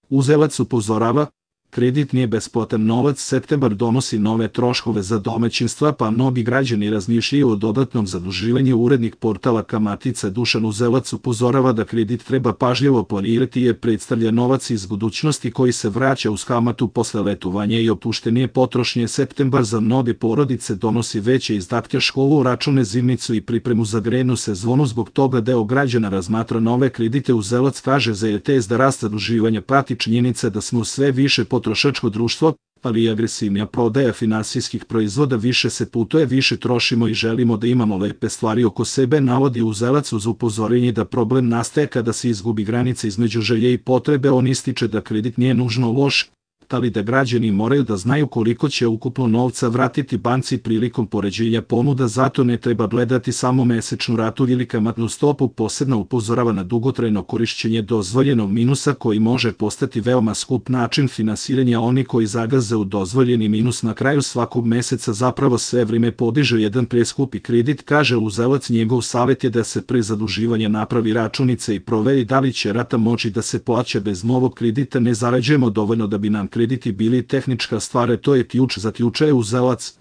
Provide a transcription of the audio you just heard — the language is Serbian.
Uzelac upozorava, kredit nije besplatan novac. Septembar donosi nove troškove za domaćinstva, pa mnogi građani razmišljaju o dodatnom zaduživanju. Urednik portala Kamatica Dušan Uzelac upozorava da kredit treba pažljivo planirati jer predstavlja novac iz budućnosti koji se vraća uz kamatu posle letovanja i opuštenije potrošnje. Septembar za mnoge porodice donosi veće izdatke, školu, račune, zimnicu i pripremu za grejnu sezonu. Zbog toga deo građana razmatra nove kredite. Uzelac kaže za RTS da rast zaduživanja prati činjenica da smo sve više potrošačko društvo, ali i agresivnija prodaja finansijskih proizvoda. Više se putuje, više trošimo i želimo da imamo lepe stvari oko sebe, navodi Uzelac uz upozorenje da problem nastaje kada se izgubi granica između želje i potrebe. On ističe da kredit nije nužno loš, ali da građani moraju da znaju koliko će ukupno novca vratiti banci prilikom poređenja ponuda. Zato ne treba gledati samo mesečnu ratu ili kamatnu stopu. Posebno upozorava na dugotrajno korišćenje dozvoljenog minusa koji može postati veoma skup način finansiranja. Oni koji zagaze u dozvoljeni minus na kraju svakog meseca zapravo sve vreme podiže jedan preskupi kredit, kaže Uzelac. Njegov savjet je da se pre zaduživanja napravi računica i proveri da li će rata moći da se plaća bez novog kredita. Ne zarađujemo dovoljno da bi nam krediti bili tehnička stvar, to je ključ, zaključuje Uzelac.